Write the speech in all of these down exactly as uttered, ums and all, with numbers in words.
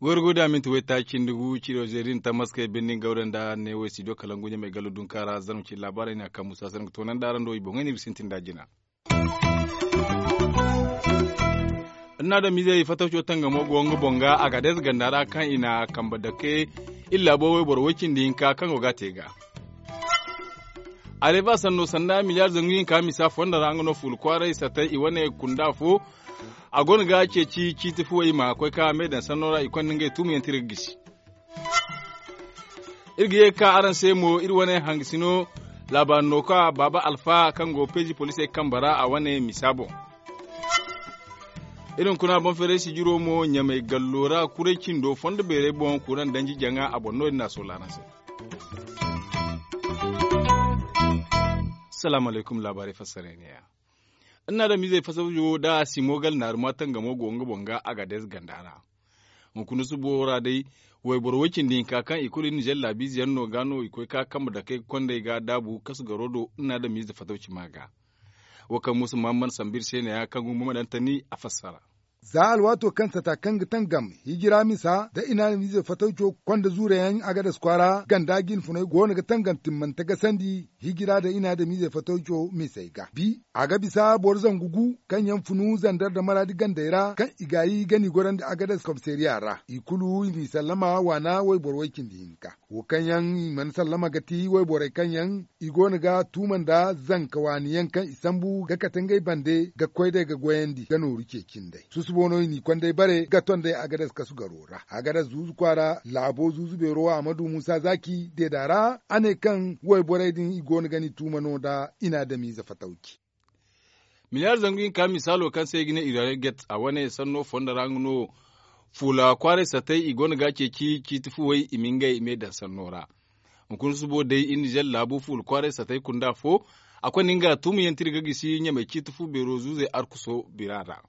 Gorgo da minti waytaaci nda gu ciro zeerin tamaskey birnin gawda nda ne wo studio kalangu ɲamey gallo dunka ra zarma cine laabaarey no a kaŋ musa sanni ga toonandi araŋ do i boŋey no iri ga sintin nd'a jina. Iri na adamizey fatawco tangamo go nga boŋ ga a ga deeze ganda ra kaŋ i na kambe dake iri laabo wayboro way cindi hinka kaŋ go ga a te ga. Areva sanno sanda miliyaar zangu hinka misa fondo ra nga no fuula kwaaray satay i wane kunda fo. A go no ga ceeci ciiti fuwey ma koy ka me daŋ sanno ra i konda ngey tuumu yaŋ tira ga gisi. Iri ga ye ga ka araŋ se mo iri wane hangasino laabaari no ka baaba alfa kaŋ go peezi poliisey kambe ra a wane misa boŋ. Iri hunkuna boŋ feeray sijiro mo ɲamey gallo ra kuray cindo fondo beerey boŋ kuraŋ danji jaŋa a boŋ no- din no a soola araŋ se. Salaamu alaykum laabaarey fassarey neeya. Iri na adamizey fasajo da simo gal naaruma tangamo go nga boŋ ga a ga deeze ganda ra. Hunkuna subo ra day wayboro way cindi hinka kaŋ i kulu iri nizer laabiize yaŋ no ga no i koy ka kambe dake ga kondey ga daabu kasu garo do iri na adamize fatawci ma ga. Wo kaŋ muusa mahammad sambu iri se neeya kaŋ ga humma ma daŋ tani a fassara. Za alwaato kaŋ sata kaŋ ga tangam hijira misa nda i na adamize fatawco konda zuure yaŋ a ga dasu kwaara ganda jinfuney go no ga tangam timmante gasandi hijira nda i na adamize fatawco misey ga bi a ga bisa boro zangu gu kaŋ yaŋ funu zandar nda maraadi gandey ra kaŋ i gaayi ga ni gorandi a ga dasu komisariya ra i kulu i n'i sallama waana wayboro way cindi hinka. Wo kaŋ yaŋ i mana sallama ga ti wayborey kaŋ yaŋ i go no ga tuuma nda zanka waani yaŋ kaŋ i sambu ga kate ngey bande ga koy day ga goyandi ga nooru ceeci nd'ey susubo no i n'i konday bare ga ton day a ga dasu kasu garo ra a ga dasu zuuzu kwaara laabo zuuzu beero a ma du muusa zaaki deeda ra a ne kaŋ wayborey din i go no ga ni tuuma no nda i na adamize fatawci. Miliyaar zangu hinka misaalo kaŋ se i ga ne iranium gate a wane sanno fondo ra nga no fuula kwaaray satay i go no ga a ceeci ciiti fuwey i ma ngey me daŋ sanno ra. Hunkuna subo day iri nizer laabu fuula kwaaray satay kunda fo a konda nga tuumu yaŋ tira ga gisi ɲamey ciiti fu beero zuuzey arkuso bira ra.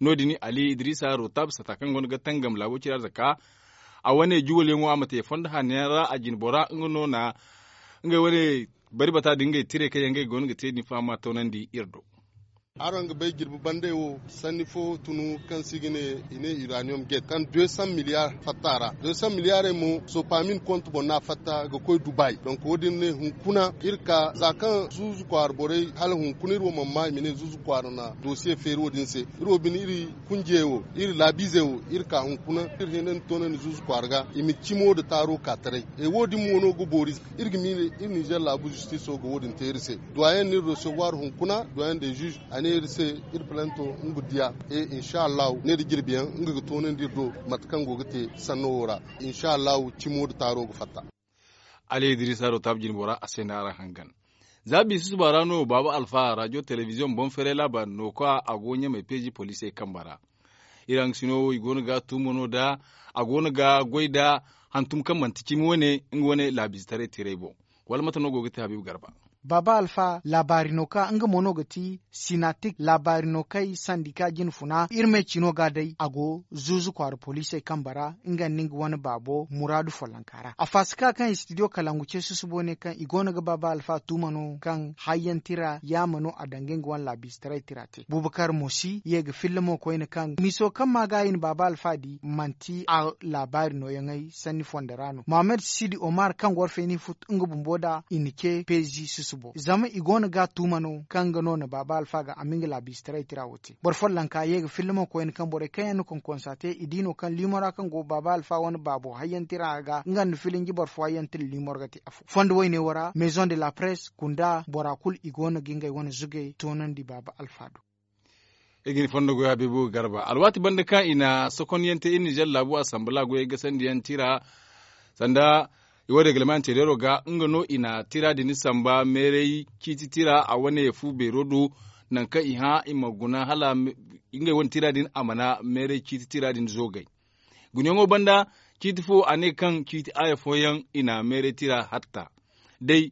No- din ali idiriisa rotab sata kaŋ go no ga tangam laabo cira zaka a wane juwal yaŋo a ma te fondo hanno yaŋ ra a jinbora nga no na ngey wane bari bata din ngey tirey kaŋ yaŋ ngey go no ga te din fahama toonandi iri do. Araŋ ga bay jirbi bandey wo sanni fo tunu kaŋ se i ga ne i ne iranium gate kaŋ deux cent milliards fatta a ra. Deux cent milliards mo sopamin kontu boŋ no a fatta ga koy dubai donk wo- din ne hunkuna iri ka za kaŋ zuuzu kwaara borey hala hunkuna iri wo mana ma i ma ne zuuzu kwaara na dosiye feeri wo- din se. Iri wo bine iri kunjiyey wo iri laabiizey wo iri ka hunkuna iri hinandi toonandi zuuzu kwaara ga i ma cimo nda taaro ka taray. Wo- din mo no ga boori iri ga miila iri nizer laabu zistiso ga wo- din te iri se. Duwayen no iri recevoir hunkuna duwayen de zuuz a ne iri se iri palento nga diya. E insa allahu ne da jirbi yaŋ nga ga toonandi iri do mate kaŋ go ga te sanno wo ra. Insa allahu cimo nda taaro ga fatta. Ali idiriisa do taabu jinbo ra a se no araŋ hangan. Za biisa susuba ra no baaba alfa rajo telebiziyoŋ boŋ feeray laabaari no ka a go ɲamey peeji poliisey kambe ra. Iri haŋgasino wo i go no ga tuuma no nd'a a go no ga goy nd'a hantum kaŋ manti cimi wane nga wane laabiizetaray tirey boŋ. Wala mate no go ga te habiibu garba? Baaba alfa laabaari no ka nga mo no ga ti sinatik laabaari no kay sandika jinfuna iri me cino ga day a go zuuzu kwaara poliisey kambe ra nga nda nga wane baabo muraadu follonka ra a faasika kaŋ istidiyo kalangu ce susubo ne kaŋ i go no ga baaba alfa tuuma no kaŋ hayyaŋ tira yaama no a danga nga wane laabiizetaray tira te buubakar mo si ye ga filla mo koyne kaŋ miso kaŋ ma ga i na baaba alfa di manti a laabaari nooyaŋey sanni fondo ra no mohammed sidi omar kaŋ ga war feeni fut nga bumbo nda i na ce peezi susubo zama i go no ga tuuma no kaŋ nga no na baaba alfa ga a ma nga laabiizetaray tira wo te boro follonka ye ga filla mo koyne kaŋ borey kaŋ yaŋ na konkonsa te i di no kaŋ liimo ra kaŋ go baaba alfa wane baabo hayyaŋ tira ga nga nda filinji boro fo hayyaŋ tira liimo ra ga te afo fondo woyne wo ra maison de la presse kunda bora kulu i go no ga ngey wane zugey toonandi baaba alfa do. Iri ga ni fondo goy habiibu garba alwaati banda kaŋ i na sokonyaŋ te iri nizer laabu asambala goyey gasandiyaŋ tira sanda i wo regleman tereero ga nga no i na tira din samba meeray ciiti tira a wane fu beero do nangu kaŋ i hã i ma guna hala ngey wane tira din a mana meeray ciiti tira din zoogay. Gunayaŋo banda ciiti fo a ne kaŋ ciiti aaya fooyaŋ i na meeray tira hatta day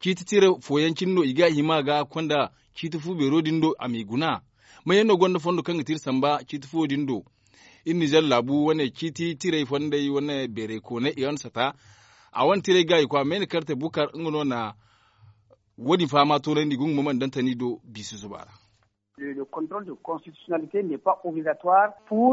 ciiti tira fooyaŋ cine no i ga hima ga konda ciiti fu beero din do a m'i guna. Mayaŋ no gonda fondo kaŋ ga tira samba ciiti fuwo din do? Iri nizer laabu wane ciiti tirey fondey wane beerey kooney i wane sata A wane tiray ga i kwa meene karte bukar nga no na wo- din fahama toonandi gungu ma mana dantani do biisi zuba ra.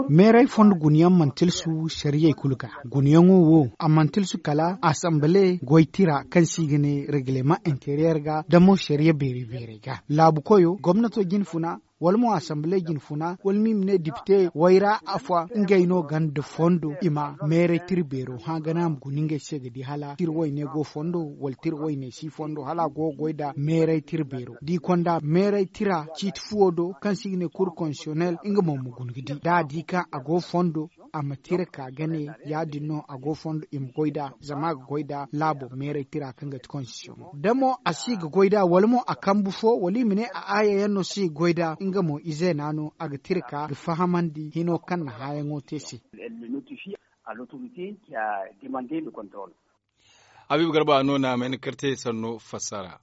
Meeray fondo guna yaŋ mana tilsu sariyey kulu ga. Guna yaŋo wo a mana tilsu kala asanbale goy tira kaŋ se i ga ne regleman enteriyer ga da mo sariya beeri beerey ga laabu koyo gomnato jinfuna, wala mo asanbale jinfuna wala mo i ma ne dipite wayra afo ngey no gonda fondo i ma meeray tira beero hã gana a ma guna ngey se ga di hala tira wayne go fondo wala tira wayne si fondo hala a go ga goy nda meeray tira beero da i konda meeray tira ciiti fuwo do kaŋ se i ga ne kur konsiyonel nga mo ma guna ga di da a di kaŋ a go fondo a ma tira ka ga ne ya- din no a go fondo i ma goy nd'a zama a ga goy nda laabo meeray tira kaŋ ga ti konstisiyoŋo da mo a si ga goy nd'a wala mo a kambu fo wala i ma ne a aaya yaŋ no si ga goy nd'a nga mo izeena no a ga tira ka ga fahamandi hino kaŋ na hãyaŋo te se. Habiibu garba no na a mayna karte sanno fassara.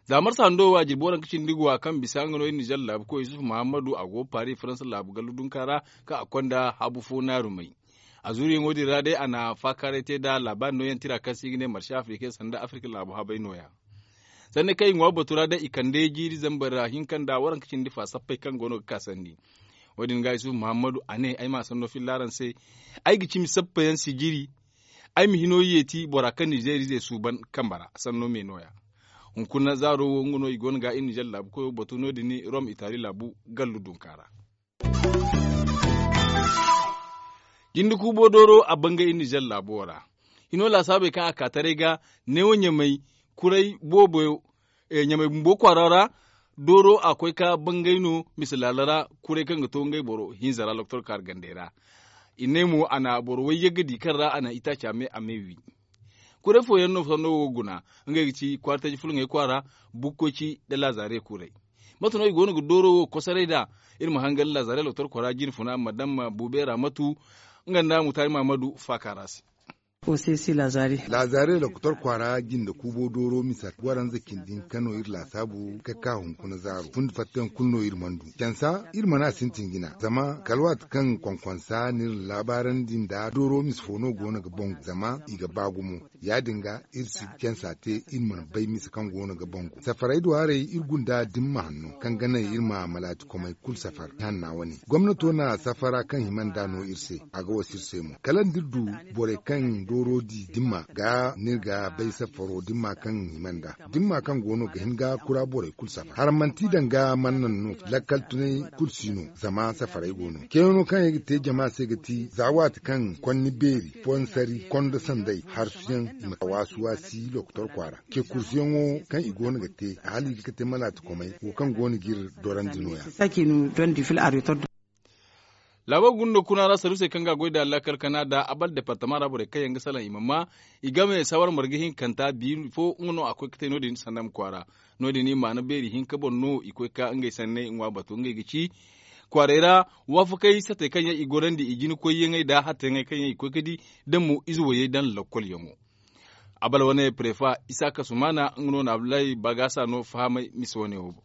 Za marsa hando wo a jirbi waranka cindi guwa kaŋ bisa nga no iri nizer laabu koy yusuf muhammadu a go paari faransa laabu gallu dunka ra kaŋ a konda habu fo naarumey. A zuuriyaŋo din ra day a na faakaaray te nda laabaari nooyaŋ tira kaŋ se i ga ne marse afrika sanda afrika laabu habay nooya. Sanni kaŋ i ŋwa batu ra day i kande jiiri zambar ra hinka nda waranka cindi fa sappey kaŋ go no ga ka sanni. Wo- din ga yusuf muhammadu a ne ay ma a sanno filla araŋ se. Ay ga cimi sappeyaŋ sijiri. Ay ma hino yeeti bora kaŋ nizeeriize suuban kambe ra sanno me nooya. Hunkuna zaaro wo nga no i go no ga iri nizer laabu koyo batu no- din rom itali laabu gallu dunka ra. Jinde kuubo dooro a bangay iri nizer laabo ra. Hino laasaabey kaŋ a ka taray ga neewo ɲamay kuray boobo ɲamay bumbo kwaara ra. Dooro a koy ka bangay no mise laala ra. Kuray kaŋ ga to ngey boro hinza ra loktor kaari gandey ra. I ne mo a na boro wayyagga di kaŋ ra a na itaaca me a me wi. Kuray fooyaŋ no sanno wo ga guna. Ngey ga ci kwaara taji fulaŋey kwaara bukkoy ci nda laazare kuray. Mate no i go no ga dooro wo kosoray nd'a? Iri ma hangan laazare loktor kwaara jinfuna madam buubeera matu nga nda mutaari mahamadu faaka ra se. Laazare loktor kwaara jinde kuubo dooro misa waranza cindi hinka no iri laasaabu ga ka hunkuna zaaro fundi fattayaŋ kulu no iri mana du cansa iri mana sintin jina zama kala waati kaŋ konkonsa na iri laabaarandi nda dooro misa fo no go no ga bangu zama i ga ba gumo. Ya- din ga iri si cansa te iri mana bay misa kaŋ go no ga bangu safaray do haray iri gunda dimma hanno kaŋ ga naŋ iri ma malaati komey kulu safar ihanna wane gomnato na safara kaŋ hima nd'a no iri se. A ga wasa iri se mo kala nda iri du borey kaŋ dooro di dimma ga no iri ga bay safaro dimma kaŋ hima nd'a dimma kaŋ go no ga hin ga kura borey kulu safar haramanti daŋ ga mana naŋ no. Lakkal tunay kulu si no zama safaray go no cayano kaŋ ay ga te jama se ga ti za waati kaŋ konni beeri fonsari kondo sanday harsuyaŋ i ma waasi waasi lokotor kwaara ce kursuyaŋo kaŋ i go no ga te hala i ga ka te malaati komey wo kaŋ go no ga iri dorandi nooya. Laabo gunda kuna ra sarusey kaŋ ga a goy da lakkal kana da abal departama ra borey kaŋ yaŋ ga salaŋ i ma ma i game sawar marga hinkanta biiri fo nga no a koy ga te no- din sanda ma kwaara. No- din i maana beeri hinka boŋ no i koy ka ngey sanney ŋwa batu ngey ga ci kwaarey ra. Waafakey satey kaŋ yaŋ i gorandi i jina koyyaŋey da hatteyaŋey kaŋ yaŋ i koy ga di da mo ize woyey daŋ lokkolyaŋo. Abal wane prefa isaaka sumaana nga no na abdullahi bagasa no fahamay mise wane wo boŋ.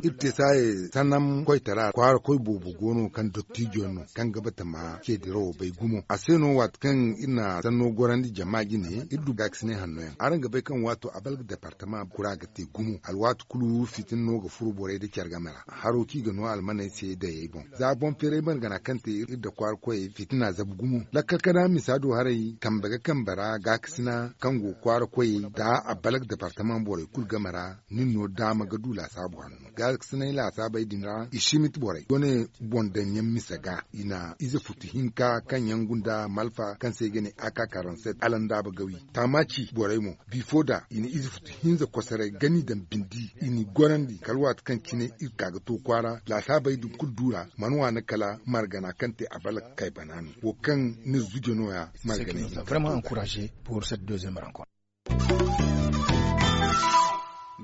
Iri te saaye sannam koytara kwaara koy boobo go no kaŋ dottiijo yaŋ no kaŋ ga batama ce dirawo bay gumo a se no waati kaŋ iri na sanno gorandi jama jine iri du gaakasinay hanno yaŋ araŋ ga bay kaŋ waato a balga departama kura ga te gumo alwaati kulu fitina no ga furo borey nda care game ra haro kaŋ i ga no almaney se dayey boŋ za boŋ feeray margana kaŋ te iri nda kwaara koyey fitina zabu gumo lakkal kana misa do haray kambe ga kambe ra gaakasina kaŋ go kwaara koyey nda a balga departama borey kulu game ra nin no daama ga du laasaabu hanno gaakasinay laasaabey din ra i simit borey wane boŋ daŋ yaŋ mise ga i na ize futu hinka kaŋ yaŋ gunda malfa kaŋ se i ga ne a ka karanset alandaaba gawi taamaaci borey mo bifo da i na ize futu hinza kosoray gani daŋ bindi i n'i gorandi kala waati kaŋ cine iri ka ga to kwaara laasaabey din kulu du ra mana waani kala margana kaŋ te a bala ga kay bana no wo kaŋ ni zuje nooya marganay.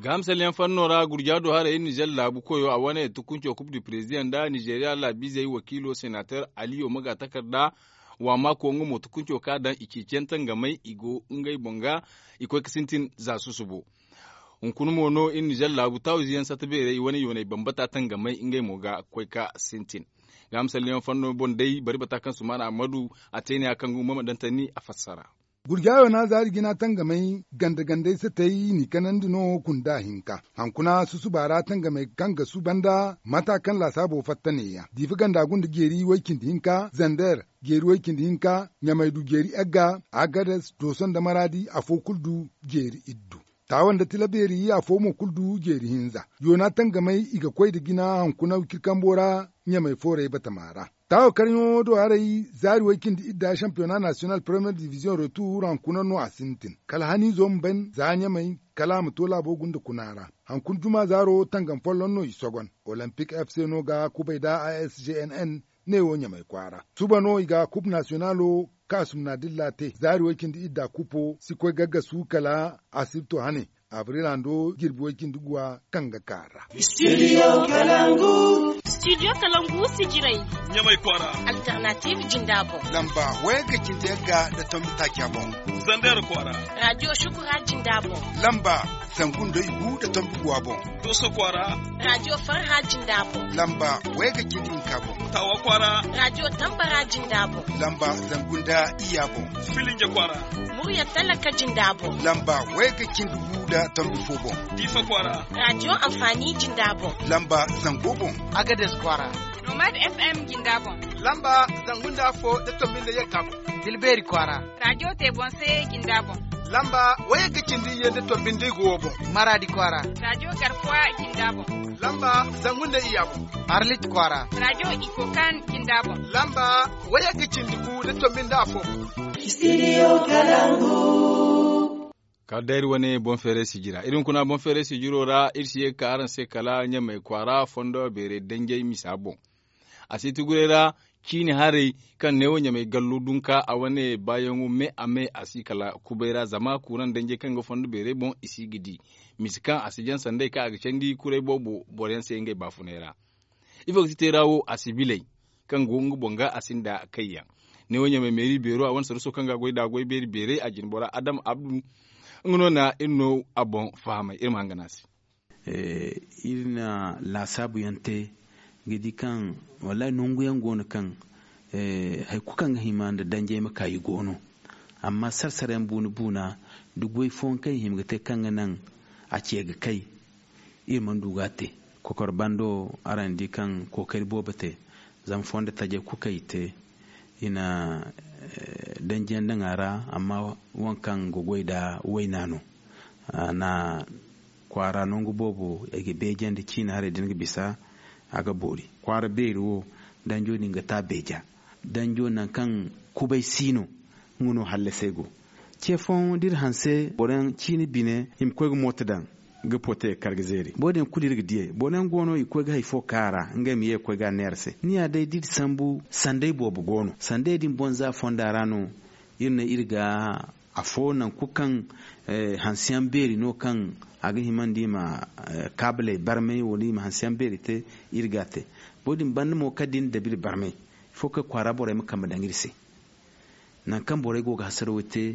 Gahamsalyaŋ fanno ra gurja do haray iri nizer laabu koyo a wane tukunco kub du prezidaŋ nda nizeriya laabiizey wakiilo senater aliyo maga takarda waamaako nga mo tukunco ka daŋ i ceeciyaŋ tangamey i go ngey boŋ ga i koy ga sintin za susubo. Hunkuna mo no iri nizer laabu taawizeyaŋ satta beerey wane yooney bambata tangamey ngey mo ga koy ga sintin. Gahamsalyaŋ fanno boŋ day bari bata kaŋ sumaana ammadu a te ne ya kaŋ ga humma ma daŋ tanni a fassara. Gurjaayo na zaari jina tangamey ganda-gandey satey n'i kanandi no kunda hinka. Hankuna susuba ra tangamey kaŋ ga suuba nda mata kaŋ laasaabo fatta neeya diifa ganda gunda jeeri way-cindi hinka zander, jeeri way-cindi hinka ɲamay du jeeri egga, agades dooso nda maraadi afo kulu du jeeri iddu. Taawa nda tila beeri afo mo kulu du jeeri hinza. Yoona tangamey i ga koy nda jina hankuna wiciri kambo ra ɲamay foorey batama ra. Taawa karɲo do haray zaari way-cindi idda sampiyona nasiyonal premiyer diviziyoŋ retuur hankuna no a sintin kala haniizo ma ban za ɲamay kala a ma to laabo gunda kuna ra. Hankuna juma zaaro tangam folloŋ no i sogon. Olimpik f c no ga kubay nda a s g n n neewo ɲamay kwaara suba no i ga kub nasiyonalo kaasum na dilla te zaari way-cindi idda kupo si koy gaggasu kala asibto hane. Abril hando jirbi way-cindi guwa kaŋ ga kaa ra. Studio kalangu sijirey ɲamay kwaara. Alternative jinda boŋ lamba wayagga cindi yagga nda tombi taaca boŋ. Zander kwaara. Radiyo shukura jinda boŋ lamba zangu nda igu nda tombi guwa boŋ. Dooso kwaara. Radiyo farha jinda boŋ lamba wayagga cindi hinka boŋ. Taawa kwaara. Radiyo tambara jinda boŋ lamba zangu nda iyya boŋ. Filinja kwaara. Murya talaka jinda boŋ lamba wayagga cindi gu nda tombi fo boŋ. Diifa kwaara. Radiyo anfaani jinda boŋ lamba zango boŋ. Agades kwaara. Nomad f m jinda boŋ lamba zangu nda afo nda tombi nda yagga boŋ. Tilbeeri kwaara. Radiyo te boŋ se jinda boŋ lamba wayagga cindi iyye nda tombi nda igu wo boŋ. Maraadi kwaara. Radiyo garkuwa jinda boŋ lamba zangu nda iyya boŋ. Arlit kwaara. Radiyo ikokan jinda boŋ lamba wayagga cindi gu nda tombi nda afo boŋ. Studio kalangu. Kala day iri wane boŋ feeray sijira iri hunkuna boŋ feeray sijiro ra iri si ye ga ka araŋ se kala ɲamay kwaara fondo beeray danjey misa boŋ. A si ti guray ra ciini haray kaŋ neewo ɲamay gallu dunka a wane baayaŋo me a me a si kala kubay ra zama kuuraŋ danjey kaŋ ga fondo beeray boŋ i si ga di misa kaŋ a si jaŋ sanday kaŋ a ga candi kuray boobo boro yaŋ se ngey baafunay ra. Ifo ga ti teera wo a si bilay kaŋ go nga boŋ ga a sinda kayyaŋ. Neewo ɲamay meeri beero a wane saruso kaŋ ga a goy da a goy beeri beeray a jine bora adam abdu nga no na iri no a boŋ fahamay iri ma hangan a se. Iri na laasaabu yaŋ te ga di kaŋ wallahi nangu yaŋ go no kaŋ hari kulu kaŋ ga hima nda danjey ma ka i go no. Amma sara sara yaŋ buuna buuna da goy fooyaŋ kaŋ i hima ga te kaŋ ga naŋ a ce ga kay iri mana du ga a te. Kokor bando araŋ di kaŋ kookari boobo te zama fondo tajey kulu kaŋ i te i na danjiyaŋ daŋ a ra. Amma waŋ kaŋ ga goy nda wayna no a na kwaara nangu boobo i ga beejandi ciina haray da ni ga bisa a ga boori kwaara beeri wo. Danjo din ga ta beeja danjo nangu kaŋ kubay si no nga no hallasay go. Ce fooyaŋ da iri hanse boro yaŋ ciina bine i ma koy ga mooto daŋ ga pote kar ga zeeri boro din kulu iri ga diyey boro yaŋ go no i ga koy ga hari fo ka a ra ngey ma ye ga koy ga a neera se ni ya day da iri sambu sanday boobo go no sanday din boŋ za fonda ra no. Iri ne iri ga afo nangu kulu kaŋ hanse yaŋ beeri no kaŋ a ga hima nda i ma kaabiley barmay wala i ma hanse yaŋ beeri te. Iri ga a te boro din banda mo kala da iri na dabu iri barmay ifo kaŋ kwaara borey ma kambe daŋ iri se. Nangu kaŋ borey go ga hasaraw te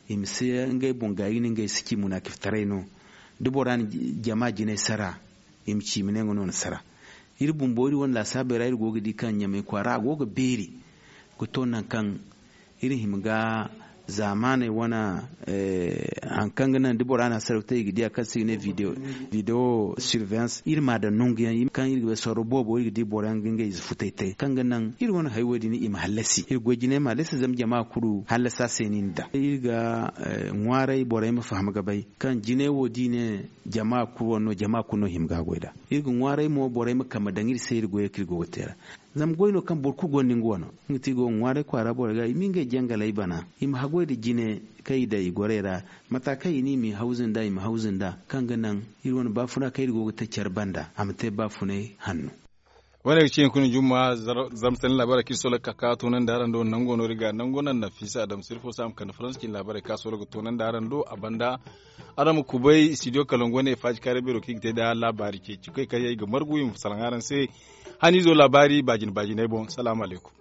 i ma si ngey boŋ gaayi no ngey si ci munaakiftaray no. Da bora na jama jinay sara i ma ci i ma ne nga no na sara. Iri bumbo iri wane laasaabey ra iri go ga di kaŋ ɲamay kwaara a go ga beeri ga to nangu kaŋ iri hima ga zaamaaney wane hari kaŋ ga naŋ da bora na hasaraw te i ga diya kaŋ se i ga ne video surveillance iri ma a daŋ nangu yaŋ kaŋ iri ga bay sorro boobo iri ga di boro yaŋ ga ngey ize futay te kaŋ ga naŋ iri wane hari wo- din i ma hallasi iri goy jinay ma hallasi zama jama kulu hallasa se no i na daŋ iri ga ŋwaaray borey ma faham ga bay kaŋ jinay wo da i ne jama kulu wane no jama kulu no hima ga a goy nd'a. Iri ga ŋwaaray mo borey ma kambe daŋ iri se iri goyey kaŋ iri go ga te ra. Zama goy no kaŋ boro kulu gonda nga wano nga ti i go ga ŋwaaray kwaara borey ga i ma ngey jangaley bana i ma haggoy nda jine kaŋ i daŋ i gorey ra mata kaŋ i ne i m'i hawzu nd'a i ma hawzu nd'a kaŋ ga naŋ iri wane baafuna kaŋ iri go ga te care banda a ma te baafunay hanno. Wane ga ci hunkuna jumma zama sanni laabaarey kaŋ iri solo ga ka ga toonandi araŋ do nango no iri ga nango naŋ nafiisa adama sirfo se a ma kande faransa cine laabaarey kaŋ a solo ga toonandi araŋ do a banda. Araŋ ma kubay studio kalangu wane faaji kaaray beero kaŋ i ga te nda laabaari ceeci koy kaŋ yaŋ i ga margu i ma salaŋ araŋ se. Haniizo laabaari baajina baajinay boŋ salaamu alaykum.